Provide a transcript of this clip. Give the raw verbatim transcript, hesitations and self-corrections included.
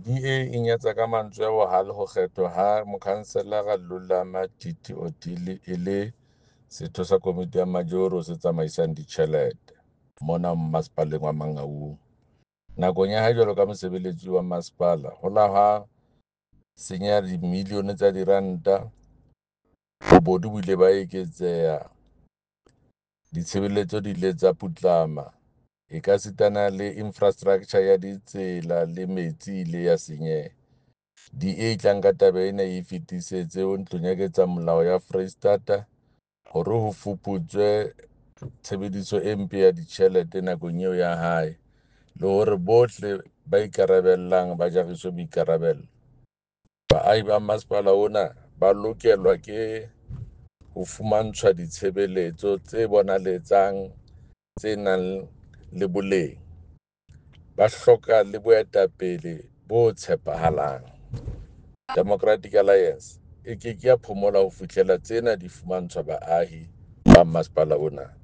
D A e nyatsa ka mantswe a bohale ho kgethwa ha Mokhanselara Lulama Titi Odili e le setho sa komiti ya majoro se tsamaisang ditjhelete mona masepaleng wa Mangaung. Nakong ya hae jwalo ka mosebeletsi wa masepala ho la ha senyeha dimilione tsa diranta, bobodu bo ile ba eketseha, ditshebeletso di ile tsa putlama, ekasitana le infrastructure ya ditsela le metsi e ile ya senyeha. D A e tla nka taba ena e fetisetse ho ntlong ya ketsamolao ya Foreisetata hore ho fuputswe tshebediso e mpe ya ditjhelete nakong eo ya hae le hore bohle ba ikarabellang ba jariswe boikarabelo. Baahi ba masepala ona ba lokelwa ke ho fumantshwa ditshebeletso tse bonaletsang tse nang le boleng. Ba hloka le boetapele bo tshepahalang. Democratic Alliance e ke ke ya phomola ho fihlela tsena di fumantshwa baahi ba masepala ona.